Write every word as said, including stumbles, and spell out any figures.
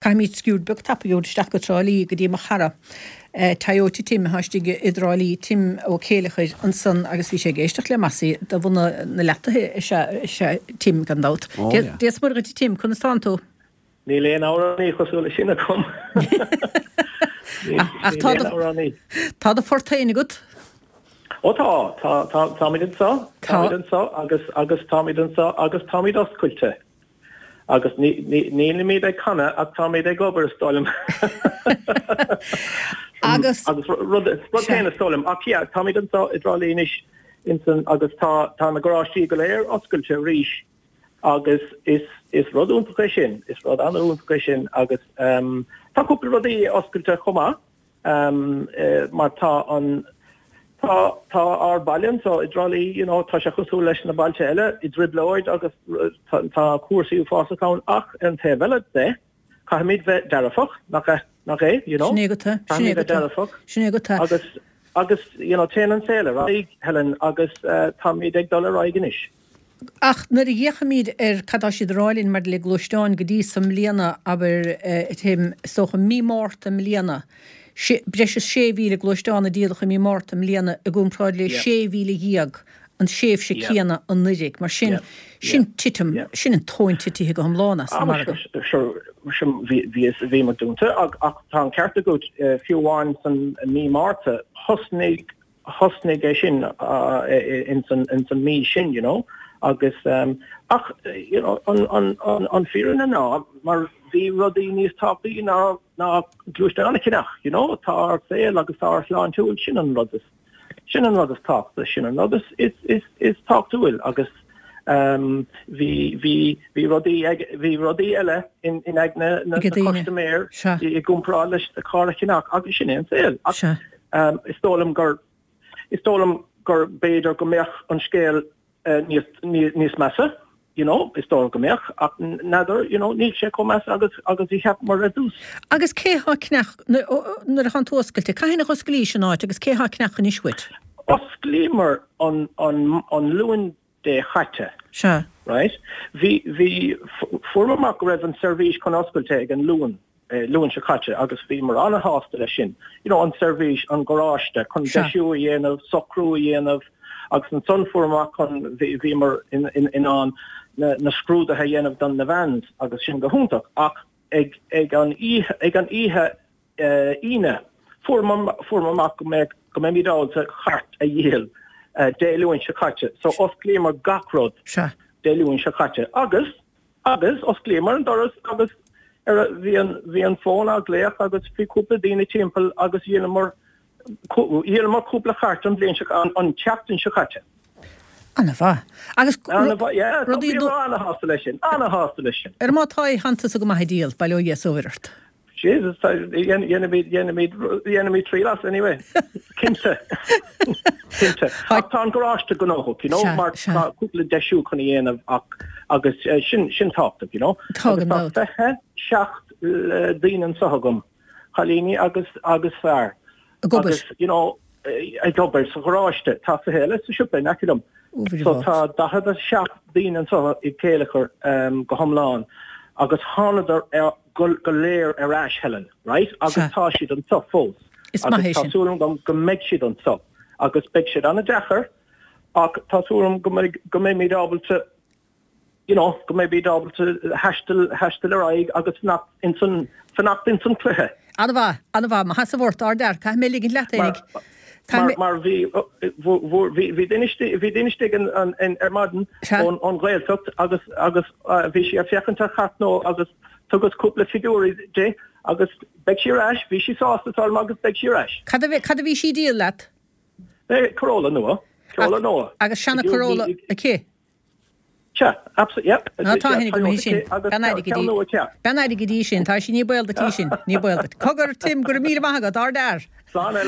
Caithfimid sciuird beag tapaidh a thabhairt isteach go Trá Lí go dtí mo chara Toyota Tim atá istigh i dTrá Lí, Tim Ó Céileachair ansan agus bhí sé ag éisteacht le Mossie de bhunadh na Leataithe is ea is ea Tim gan dabht. Ó yeah. Dia is Muire dhuit a Tim, conas tánn tú? Níl aon amhránaí cosúil leis sin agam. Ach tá Níl aon amhránaí. Tá do phort féin agat? Ó tá, tá, tá, táimid anseo, Tá. táimid anseo agus agus táimid anseo agus táimid oscailte. Agus nílimid ag canadh ach táimid ag obair is dóigh liom. Agus. Agus rud rud féin is dóigh liom. Ach yeah, táimid anseo i dTrá Lí anois insan agus tá tá na garáistí go léir oscailte arís agus is is rud iontach é sin, is rud an-iontach é sin agus um, tá cúpla rudaí oscailte chomh maith um, eh, mar tá an Tá tá ár baile anseo i dTrá Lí, you know, tá sé cosúil leis na bailte eile i dtrioblóid agus tá tá cúrsaí uafásach ann ach ar an taobh eile de, caithfimid bheith dearfach, nach é, nach é, you know? Sin é go tá, sin é Caithfimid go bheith tá, dearfach sin é go tá. agus agus you know, téann an saol ar aghaidh, Helen, agus uh, táimid ag dul ar aghaidh anois. Ach nuair a fhéachaimid ar cad tá siad a rá linn maidir le gluaisteáin go dtí sa mbliana, abair, a Tim, is dócha mí Márta i mbliana, breis is sé mhíle gluaisteán a díoladh i mí Márta i mbliana i gcomparáid le sé mhíle dhéag an tréimhse céanna anuraidh. Mar sin, sin titim, sin an tóin titithe go hiomlán as an margadh. Sure, bhíomar dúnta ach tá an ceart agat, fiú amháin san mí Márta, thosnaigh thosnaigh é sin ins an ins an mí sin, you know, agus ach you know an an an an fírinne ná mar bhí rudaí níos tábhachtaí ná ná gluaisteán a cheannach, you know, tá ár saol agus tá ár sláintiúil, sin an rud is sin an rud is tábhachtaí, sin an rud is is is is tábhachtúil agus um bhí bhí bhí rudaí ag bhí rudaí eile in in aigne na Ag daoine. custaiméir Sea. i i gcomparáid leis na carr a cheannach agus sin é an saol. Ach Sea. um is dóigh liom gur is dóigh liom gur b'fhéidir go mbeadh an scéal uh, níos níos níos measa, you know, is dóigh go mbeadh ach n'fheadar, you know, níl sé chomh measa agus agus a cheapamar ar dtús. Agus cé há ag ceannach nuair atá tú oscailte, cathain a osclaís an áit agus cé há ag ceannach anois uait? Osclaíomar an an an Luan Dé chaite. Sea. Right? Bhí bhí fuair amach go raibh an seirbhís chun oscailte ag an Luan eh, Luan seo caite agus bhíomar an-shásta leis sin. You know, an seirbhís an garáiste chun Sea. deisiú a dhéanamh, socrú a dhéanamh agus ansan fuair amach chun bhíomar in, in, in ann na, na scrúduithe a dhéanamh don na vans agus sin go hiontach ach ag ag an oíche ag an oíche uh, Aoine fuair fuair amach go mbeidh go mbeimid ábalta cairt a dhíol uh, Dé Luain seo caite. So osclaíomar gach rud Sea. Dé Luain seo caite agus agus osclaíomar an doras agus ar bhí an bhí an fón á glaoch agus bhí cúpla daoine timpeall agus dhíolamar dhíolamar cúpla chairt an bhliain seo an, an tseachtain seo caite. An-mhaith. Agus An-mhaith, rudaí yeah, an-shásta leis sin, an-shásta leis sin. Ar má tá hantas go maith díol, bail ó Dhia is ó Mhuire ort. Jesus, dhéanfaimid dhéanfaimid dhéanfaimid triail as anyway. Cinnte. Cinnte. Ach tá an garáiste gnóthach, you know, Sea, mar sea. tá cúpla deisiú chun a dhéanamh ach agus eh, sin sin tábhachtach, you know. Tá Agus gan tá dabht. fiche seacht eh, daoine anseo agam, cailíní agus agus fear. Ag obair. Agus, you know, eh, ag obair sa gharáiste, tá fiche eile sa siopa in aice liom. Ó, So tá daichead a seacht daoine anseo i Céileachar um, go hiomlán agus thánadar ar go, go léir ar ais Helen, right? Agus Sea. tá siad anseo fós. Is maith Agus é tá sin. súil agam go mbeidh siad anseo agus beidh siad an-deacair ach tá súil agam go mbeidh go mbeimid ábalta you know, go mbeimid ábalta taisteal taisteal ar aghaidh agus fanacht insan fanacht insan cluiche. An-mhaith, an-mhaith, má has a bhort ardar, caithfidh mé ligint leat Mar énig. Caithfidh mar mé mar bhí bhí bhí duine bhí duine istigh an an an ar maidin Sea. ón ón Ghaeltacht agus agus uh, bhí sí ag féachaint ar chairt nó agus thugas cúpla figiúirí di agus beidh sí ar ais, bhí sí sásta tá agus beidh sí ar ais. Cad a bhí cad a bhí sí díol leat? Eh, Corolla nua, Corolla nua. Agus seana Corolla aici. Sea, absolutely, yep. Ná tá hénig go Toyota sin. agus Bean ceann nua ce. Ben aige dí sin, tá sí ní baol duit sin, ní baol duit. Cogar Tim go raibh míle maith agat, ardfhear. Slán Ellen.